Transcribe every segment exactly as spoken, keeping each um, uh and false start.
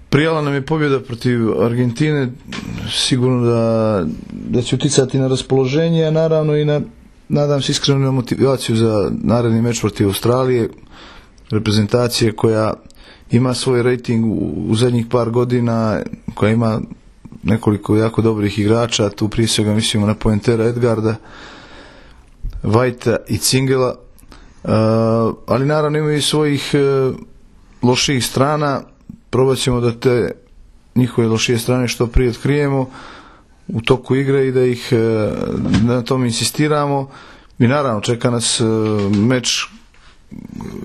Prijala nam je pobjeda protiv Argentine, sigurno da, da će uticati na raspoloženje, a naravno i na, nadam se, iskreno na motivaciju za naredni meč protiv Australije, reprezentacije koja ima svoj rating u, u zadnjih par godina, koja ima nekoliko jako dobrih igrača, tu prije svega mislimo na poentera Edgarda, Whitea i Cingela, uh, ali naravno imaju i svojih uh, loših strana. Probat ćemo da te njihove lošije strane što prije otkrijemo u toku igre i da ih na tom insistiramo. I naravno čeka nas meč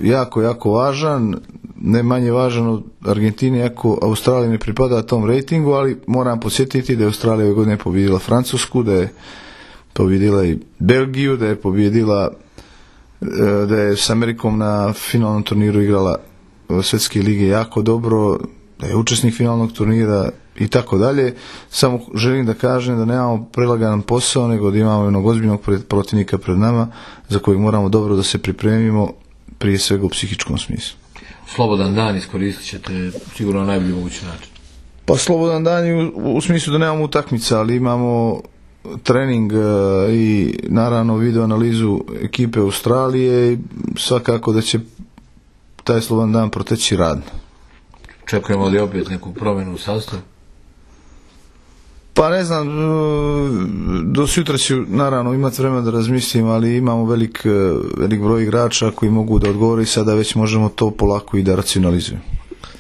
jako, jako važan, ne manje važan od Argentine, iako Australija ne pripada tom rejtingu, ali moram podsjetiti da je Australija ove godine pobjedila Francusku, da je pobjedila i Belgiju, da je pobjedila, da je s Amerikom na finalnom turniru igrala Svjetske lige jako dobro, da je učesnik finalnog turnira i tako dalje. Samo želim da kažem da nemamo prelaganan posao, nego da imamo jednog ozbiljnog protivnika pred nama za kojeg moramo dobro da se pripremimo, prije svega u psihičkom smislu. Slobodan dan iskoristit ćete sigurno na najbolji mogući način. Pa slobodan dan u, u smislu da nemamo utakmica, ali imamo trening i naravno video analizu ekipe Australije i svakako da će taj slobodan dan proteći radno. Čekujemo li opet neku promjenu u sastavu? Pa ne znam, do sutra ću naravno imati vremena da razmislim, ali imamo velik, velik broj igrača koji mogu da odgovore i sada već možemo to polako i da racionalizujemo.